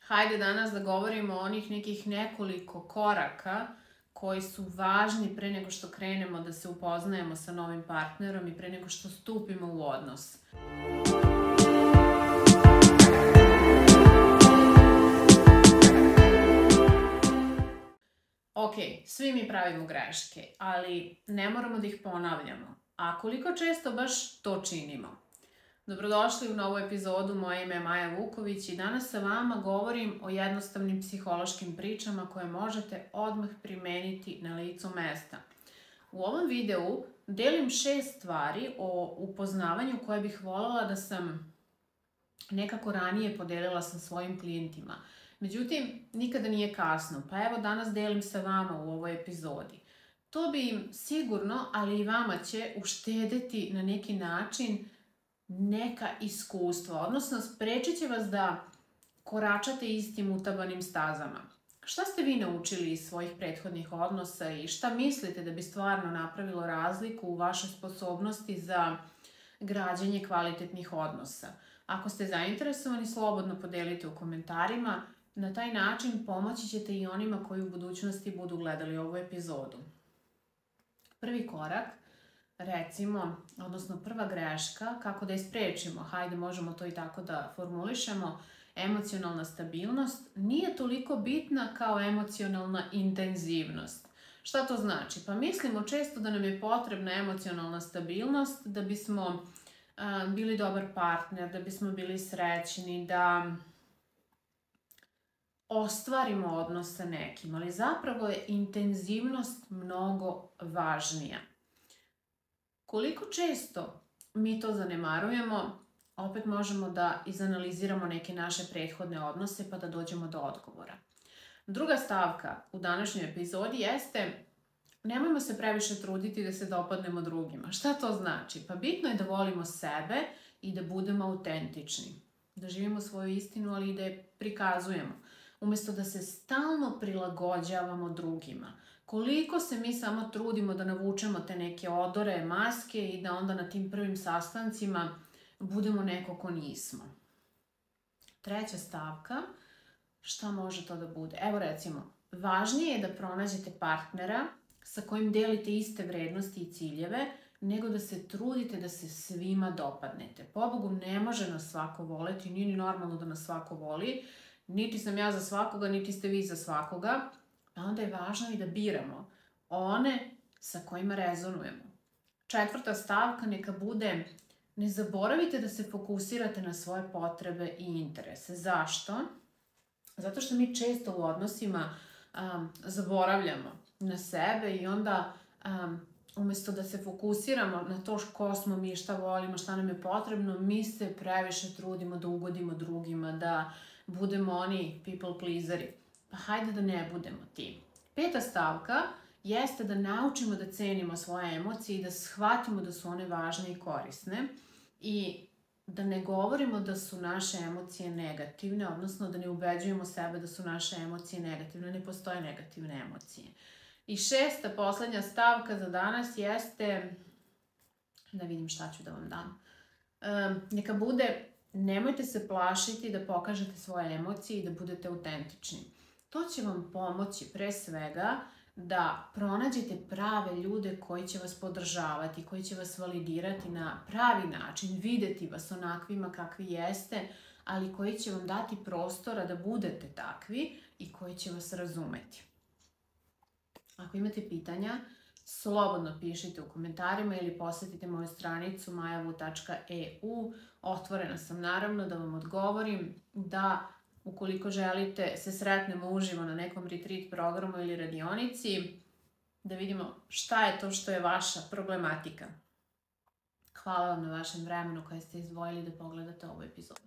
Hajde danas da govorimo o onih nekih nekoliko koraka koji su važni pre nego što krenemo da se upoznajemo sa novim partnerom i pre nego što stupimo u odnos. Ok, svi mi pravimo greške, ali ne moramo da ih ponavljamo. A koliko često baš to činimo? Dobrodošli u novu epizodu, moje ime je Maja Vuković i danas sa vama govorim o jednostavnim psihološkim pričama koje možete odmah primeniti na licu mesta. U ovom videu delim 6 stvari o upoznavanju koje bih voljela da sam nekako ranije podelila sa svojim klijentima. Međutim, nikada nije kasno, pa evo danas delim sa vama u ovoj epizodi. To bi im sigurno, ali i vama će uštedeti na neki način neka iskustva, odnosno sprečit će vas da koračate istim utabanim stazama. Šta ste vi naučili iz svojih prethodnih odnosa i šta mislite da bi stvarno napravilo razliku u vašoj sposobnosti za građenje kvalitetnih odnosa? Ako ste zainteresovani, slobodno podelite u komentarima. Na taj način pomoći ćete i onima koji u budućnosti budu gledali ovu epizodu. Prvi korak, recimo, odnosno prva greška, kako da je sprečimo, hajde možemo to i tako da formulišemo, emocionalna stabilnost nije toliko bitna kao emocionalna intenzivnost. Šta to znači? Pa mislimo često da nam je potrebna emocionalna stabilnost da bismo bili dobar partner, da bismo bili srećni, da ostvarimo odnos sa nekim, ali zapravo je intenzivnost mnogo važnija. Koliko često mi to zanemarujemo, opet možemo da izanaliziramo neke naše prethodne odnose pa da dođemo do odgovora. Druga stavka u današnjoj epizodi jeste nemojmo se previše truditi da se dopadnemo drugima. Šta to znači? Pa bitno je da volimo sebe i da budemo autentični. Da živimo svoju istinu, ali i da je prikazujemo. Umjesto da se stalno prilagođavamo drugima. Koliko se mi samo trudimo da navučemo te neke odore, maske i da onda na tim prvim sastancima budemo neko ko nismo. Treća stavka, šta može to da bude? Evo recimo, važnije je da pronađete partnera sa kojim delite iste vrednosti i ciljeve, nego da se trudite da se svima dopadnete. Pobogu, ne može nas svako voleti, nije ni normalno da nas svako voli, niti sam ja za svakoga, niti ste vi za svakoga, a onda je važno i da biramo one sa kojima rezonujemo. Četvrta stavka neka bude, ne zaboravite da se fokusirate na svoje potrebe i interese. Zašto? Zato što mi često u odnosima zaboravljamo na sebe i onda umjesto da se fokusiramo na to ko smo mi, šta volimo, šta nam je potrebno, mi se previše trudimo da ugodimo drugima, da budemo oni people pleaseri. Pa hajde da ne budemo ti. Peta stavka jeste da naučimo da cenimo svoje emocije i da shvatimo da su one važne i korisne i da ne govorimo da su naše emocije negativne, odnosno da ne ubeđujemo sebe da su naše emocije negativne, ne postoje negativne emocije. I šesta, poslednja stavka za danas jeste, da vidim šta ću da vam dam, neka bude nemojte se plašiti da pokažete svoje emocije i da budete autentični. To će vam pomoći pre svega da pronađete prave ljude koji će vas podržavati, koji će vas validirati na pravi način, videti vas onakvima kakvi jeste, ali koji će vam dati prostora da budete takvi i koji će vas razumeti. Ako imate pitanja, slobodno pišite u komentarima ili posetite moju stranicu majavu.eu. Otvorena sam naravno da vam odgovorim, da ukoliko želite se sretnemo uživo na nekom retreat programu ili radionici, da vidimo šta je to što je vaša problematika. Hvala vam na vašem vremenu koje ste izdvojili da pogledate ovu epizodu.